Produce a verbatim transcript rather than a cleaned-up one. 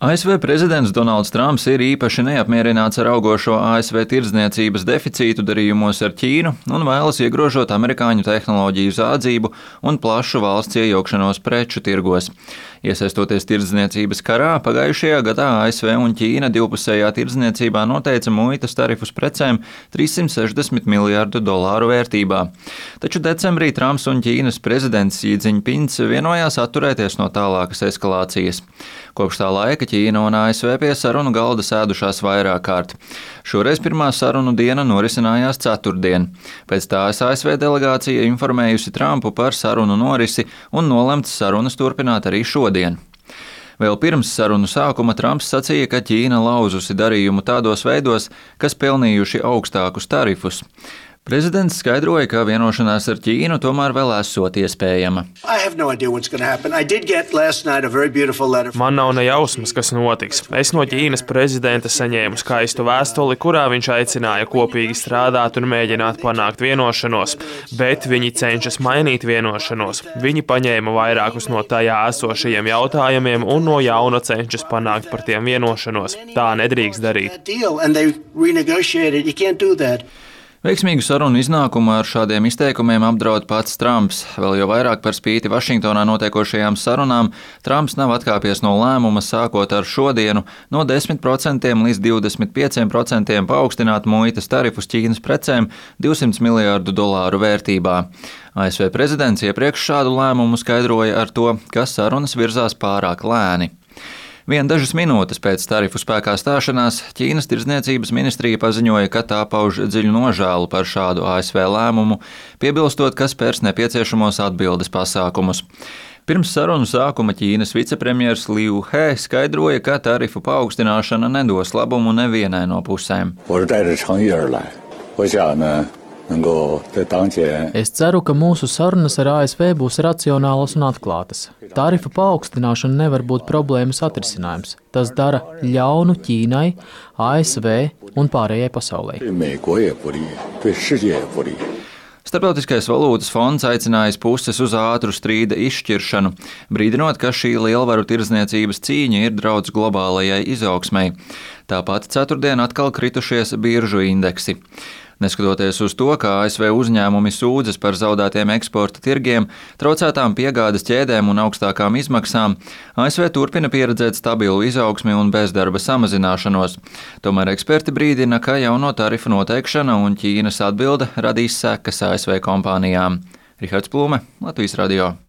A S V prezidents Donalds Trumps ir īpaši neapmierināts ar augošo A S V tirdzniecības deficītu darījumos ar Ķīnu un vēlas iegrožot amerikāņu tehnoloģiju zādzību un plašu valsts iejaukšanos preču tirgos. Iesaistoties tirdzniecības karā, pagājušajā gadā A S V un Ķīna divpusējā tirdzniecībā noteica muitas tarifus precēm trīssimt sešdesmit miljārdu dolāru vērtībā. Taču decembrī Trumps un Ķīnas prezidents Xi Jinpings vienojās atturēties no tālākas eskalācijas. Kopš tā laika Ķīna un A S V pie sarunu galda sēdušās vairāk kārt. Šoreiz pirmā sarunu diena norisinājās ceturtdien. Pēc tās A S V delegācija informējusi Trumpu par sarunu norisi un nolemts sarunas turpināt arī šodien. Vēl pirms sarunu sākuma Trumps sacīja, ka Ķīna lauzusi darījumu tādos veidos, kas pelnījuši augstākus tarifus. Prezidents skaidroja, ka vienošanās ar Ķīnu tomēr vēl esot iespējama. Man nav ne jausmas, kas notiks. Es no Ķīnas prezidenta saņēmu skaistu vēstuli, kurā viņš aicināja kopīgi strādāt un mēģināt panākt vienošanos, bet viņi cenšas mainīt vienošanos. Viņi paņēma vairākus no tajā esošajiem jautājumiem un no jauna cenšas panākt par tiem vienošanos. Tā nedrīkst darīt. Veiksmīgu sarunu iznākumu ar šādiem izteikumiem apdraud pats Trumps. Vēl jau vairāk par spīti Vašingtonā notiekošajām sarunām, Trumps nav atkāpies no lēmuma sākot ar šodienu no desmit procentiem līdz divdesmit pieciem procentiem paaugstināt muitas tarifus Ķīnas precēm divsimt miljārdu dolāru vērtībā. A S V prezidents iepriekš šādu lēmumu skaidroja ar to, ka sarunas virzās pārāk lēni. Vien dažas minūtes pēc tarifu spēkā stāšanās Ķīnas tirdzniecības ministrija paziņoja, ka tā pauž dziļu nožēlu par šādu A S V lēmumu, piebilstot, ka spērs nepieciešamos atbildes pasākumus. Pirms sarunu sākuma Ķīnas vicepremjers Liu He skaidroja, ka tarifu paaugstināšana nedos labumu nevienai no pusēm. Es ceru, ka mūsu sarunas ar A S V būs racionālas un atklātas. Tarifu paaugstināšana nevar būt problēmas atrisinājums. Tas dara ļaunu Ķīnai, A S V un pārējai pasaulē. Starptautiskais valūtas fonds aicinājis puses uz ātru strīda izšķiršanu, brīdinot, ka šī lielvaru tirdzniecības cīņa ir draudz globālajai izaugsmei. Tāpat ceturtdien atkal kritušies biržu indeksi. Neskatoties uz to, ka A S V uzņēmumi sūdzas par zaudētiem eksporta tirgiem, traucētām piegādes ķēdēm un augstākām izmaksām, A S V turpina pieredzēt stabilu izaugsmi un bezdarba samazināšanos. Tomēr eksperti brīdina, ka jauno tarifu noteikšana un Ķīnas atbilde radīs sekas A S V kompānijām. Rihards Plūme, Latvijas radio.